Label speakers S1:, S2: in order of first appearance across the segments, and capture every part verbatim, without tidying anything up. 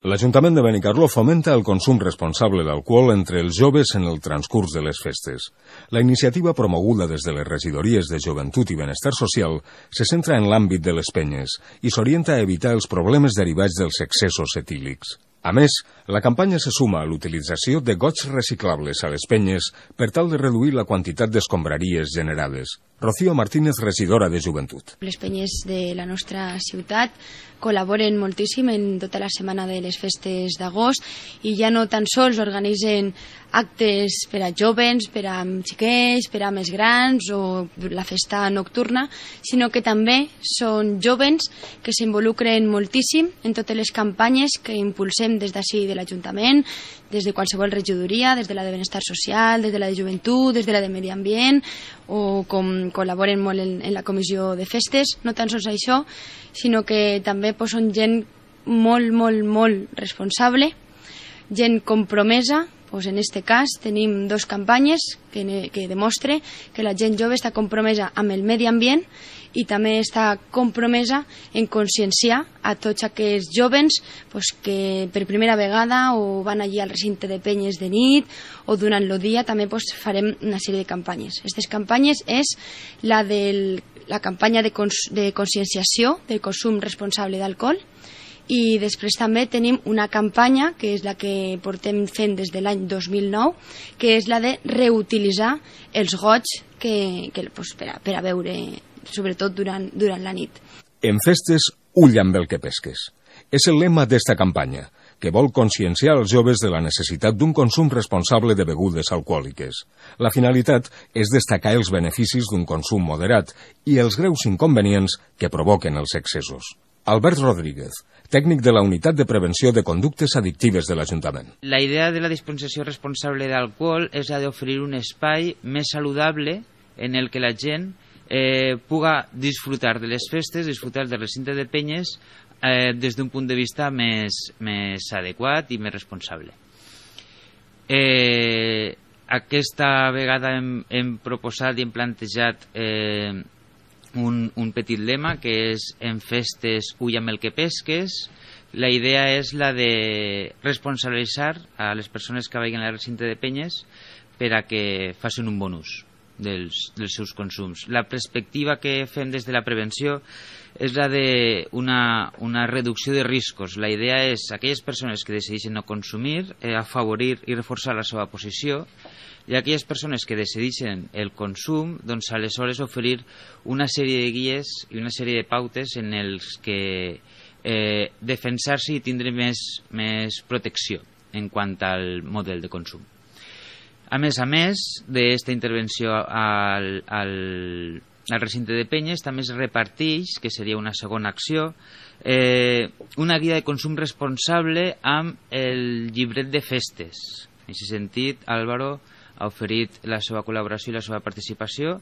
S1: L'Ajuntament de Benicarló fomenta el consum responsable d'alcohol entre els joves en el transcurs de les festes. La iniciativa promoguda des de les regidories de Joventut i Benestar Social se centra en l'àmbit de les penyes i s'orienta a evitar els problemes derivats dels excessos etílics. A més, la campanya se suma a l'utilització de gots reciclables a les penyes per tal de reduir la quantitat d'escombraries generades. Rocío Martínez, regidora de Joventut.
S2: Les penyes de la nostra ciutat col·laboren moltíssim en tota la setmana de les festes d'agost i ja no tan sols organitzen actes per a jovens, per a xiquets, per a més grans o la festa nocturna, sinó que també són jovens que s'involucren moltíssim en totes les campanyes que impulsem des d'ací de l'Ajuntament, des de qualsevol regidoria, des de la de Benestar Social, des de la de Joventut, des de la de Medi Ambient, o com col·laboren molt en, en la comissió de festes. No tan sols això, sinó que també pues, són gent molt, molt, molt responsable, gent compromesa. Pues en este cas tenim dos campanyes que, que demostre que la gent jove està compromesa amb el medi ambient i també està compromesa en conscienciar a tots aquests jovens pues, que per primera vegada o van allí al recinte de penyes de nit o durant el dia també pues, farem una sèrie de campanyes. Aquestes campanyes és la de la campanya de, cons de conscienciació del consum responsable d'alcohol. I després també tenim una campanya, que és la que portem fent des de l'any dos mil nou, que és la de reutilitzar els gots que, que, pues, per, a, per a beure, sobretot durant, durant la nit.
S1: En festes, ull amb el que pesques. És el lema d'esta campanya, que vol conscienciar els joves de la necessitat d'un consum responsable de begudes alcohòliques. La finalitat és destacar els beneficis d'un consum moderat i els greus inconvenients que provoquen els excessos. Albert Rodríguez, tècnic de la Unitat de Prevenció de Conductes Addictives de l'Ajuntament.
S3: La idea de la dispensació responsable d'alcohol és la d'oferir un espai més saludable en el que la gent eh, puga disfrutar de les festes, disfrutar del recinte de penyes eh, des d'un punt de vista més, més adequat i més responsable. Eh, aquesta vegada hem, hem proposat i hem plantejat eh, Un, un petit lema que és en festes ull amb el que pesques. La idea és la de responsabilitzar a les persones que vagin al recinte de penyes per a que facin un bon ús dels, dels seus consums. La perspectiva que fem des de la prevenció és la de una, una reducció de riscos. La idea és aquelles persones que decideixen no consumir, eh, afavorir i reforçar la seva posició, i aquelles persones que decideixen el consum, doncs aleshores oferir una sèrie de guies i una sèrie de pautes en els que eh, defensar-se i tindre més, més protecció en quant al model de consum. A més a més d'aquesta intervenció al, al, al recinte de penyes, també es reparteix, que seria una segona acció, eh, una guia de consum responsable amb el llibret de festes. En aquest sentit, Álvaro ha oferit la seva col·laboració i la seva participació,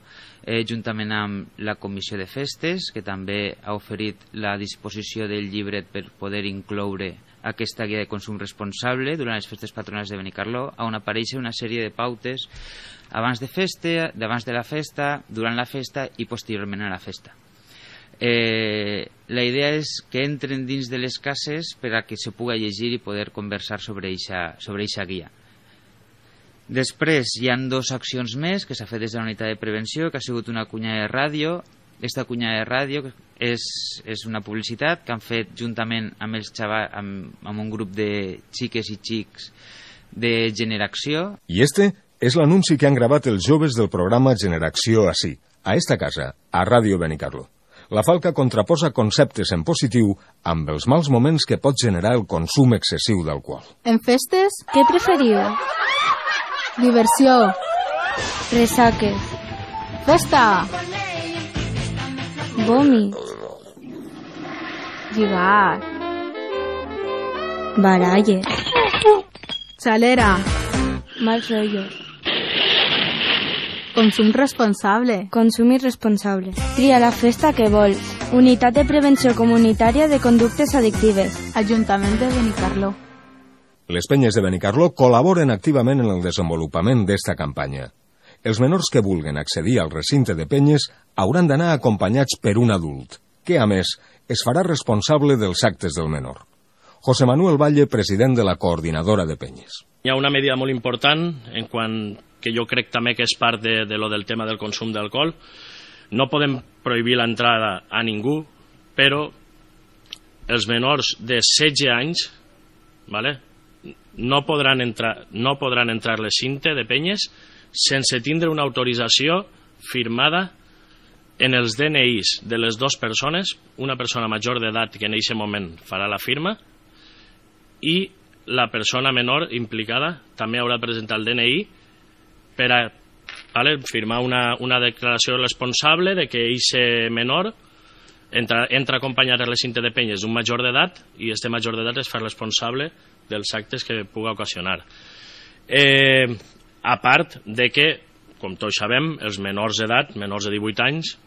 S3: eh, juntament amb la Comissió de Festes, que també ha oferit la disposició del llibret per poder incloure aquesta guia de consum responsable durant les festes patronals de Benicarló, on apareixen una sèrie de pautes abans de festa, d'abans de la festa, durant la festa i posteriorment a la festa. Eh, la idea és que entren dins de les cases per a que se puga llegir i poder conversar sobre eixa, sobre eixa guia. Després hi ha dues accions més que s'ha fet des de la unitat de prevenció, que ha sigut una cunya de ràdio. Aquesta cunya de ràdio és, és una publicitat que han fet juntament amb, els xavals, amb, amb un grup de xiques i xics de Generació.
S1: I este és l'anunci que han gravat els joves del programa Generació ací, a esta casa, a Ràdio Benicarló. La Falca contraposa conceptes en positiu amb els mals moments que pot generar el consum excessiu d'alcohol.
S4: En festes, què preferiu? Diversió. Resaques. Festa. Vòmit. Lligar. Baralles. Xalera. Mals rotllos. Consum responsable.
S5: Consum irresponsable. Tria la festa que vols. Unitat de Prevenció Comunitària de Conductes Addictives.
S4: Ajuntament de Benicarló.
S1: Les penyes de Benicarló col·laboren activament en el desenvolupament d'esta campanya. Els menors que vulguen accedir al recinte de penyes hauran d'anar acompanyats per un adult, que, a més, es farà responsable dels actes del menor. José Manuel Valle, president de la coordinadora de penyes.
S6: Hi ha una medida molt important en quant que jo crec també que és part de, de lo del tema del consum d'alcohol. No podem prohibir l'entrada a ningú, però els menors de setze anys, vale, no podran entrar, no podran entrar a l'recinte de penyes sense tindre una autorització firmada en els D N Is de les dues persones, una persona major d'edat que en aquest moment farà la firma i la persona menor implicada també haurà de presentar el D N I per a vale, firmar una, una declaració responsable de que aquest menor entra, entra acompanyat a la cinta de penyes d'un major d'edat i este major d'edat es fa responsable dels actes que puga ocasionar. Eh, a part de que, com tots sabem, els menors d'edat, menors de divuit anys,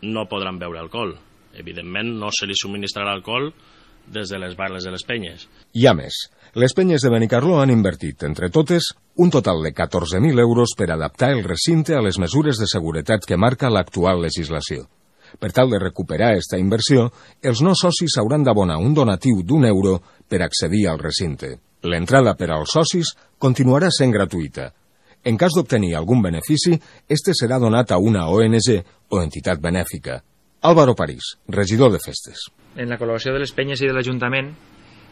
S6: no podran beure alcohol. Evidentment, no se li subministrarà alcohol des de les barres de les penyes.
S1: Hi ha més. Les penyes de Benicarló han invertit, entre totes, un total de catorze mil euros per adaptar el recinte a les mesures de seguretat que marca l'actual legislació. Per tal de recuperar aquesta inversió, els no socis hauran d'abonar un donatiu d'un euro per accedir al recinte. L'entrada per als socis continuarà sent gratuïta. En cas d'obtenir algun benefici, este serà donat a una O N G o entitat benèfica. Álvaro París, regidor de festes.
S7: En la col·laboració de les penyes i de l'Ajuntament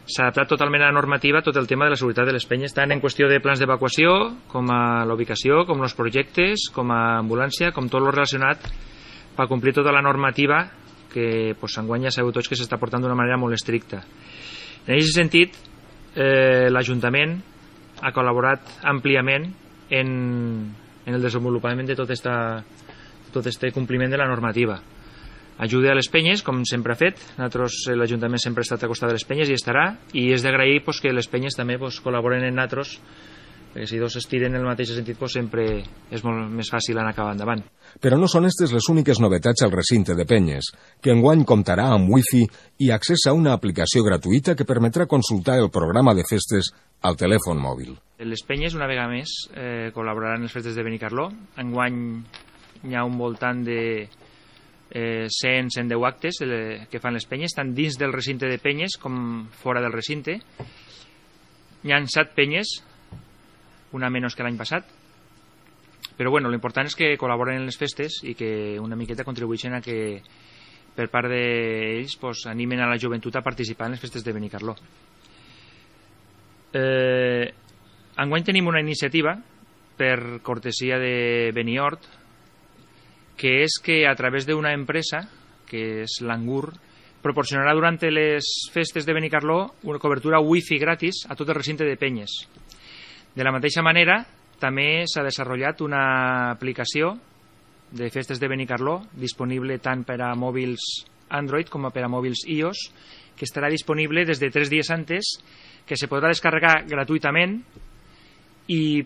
S7: s'ha adaptat totalment a la normativa tot el tema de la seguretat de les penyes, tant en qüestió de plans d'evacuació, com a la ubicació, com els projectes, com a ambulància, com tot el relacionat per complir tota la normativa que pues, enguany ja sabeu tots que s'està portant d'una manera molt estricta. En aquest sentit, eh, l'Ajuntament ha col·laborat àmpliament en, en el desenvolupament de tot esta, tot este compliment de la normativa. Ajuda a les penyes, com sempre ha fet. Nosaltres, l'Ajuntament sempre ha estat a costat de les penyes i estarà, i és d'agrair pues, que les penyes també pues, col·laboren en nosaltres, perquè si dos es tiren en el mateix sentit pues, sempre és molt més fàcil anar cap endavant.
S1: Però no són aquestes les úniques novetats al recinte de penyes, que enguany comptarà amb wifi i accés a una aplicació gratuïta que permetrà consultar el programa de festes al telèfon mòbil.
S7: Les penyes, una vegada més, eh, col·laboraran en les festes de Benicarló. Enguany hi ha un voltant de eh, cent a cent deu actes que fan les penyes, tant dins del recinte de penyes com fora del recinte. Hi ha set penyes, una menys que l'any passat, però bueno, l'important és que col·laboren en les festes i que una miqueta contribueixen a que per part d'ells pues, animen a la joventut a participar en les festes de Benicarló. Eh, enguany tenim una iniciativa per cortesia de Beniort, que és que a través d'una empresa, que és l'Angur, proporcionarà durant les festes de Benicarló una cobertura wifi gratis a tot el recinte de penyes. De la mateixa manera, també s'ha desenvolupat una aplicació de festes de Benicarló disponible tant per a mòbils Android com per a mòbils iOS, que estarà disponible des de tres dies antes, que se podrà descarregar gratuïtament i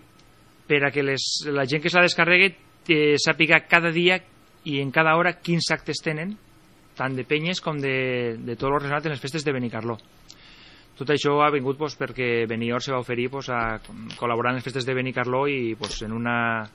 S7: per a que les, la gent que se la descarregui eh, sàpiga cada dia i en cada hora quins actes tenen, tant de penyes com de, de tot el relacionat en les festes de Benicarló. Tot això ha vingut pues, perquè Beniort se va oferir pues, a col·laborar en les festes de Benicarló i pues, en una,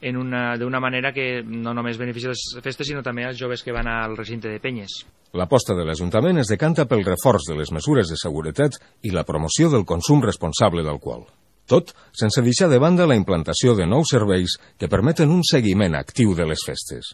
S7: en una, d'una manera que no només beneficia les festes sinó també als joves que van al recinte de penyes.
S1: L'aposta de l'Ajuntament es decanta pel reforç de les mesures de seguretat i la promoció del consum responsable d'alcohol. Tot sense deixar de banda la implantació de nous serveis que permeten un seguiment actiu de les festes.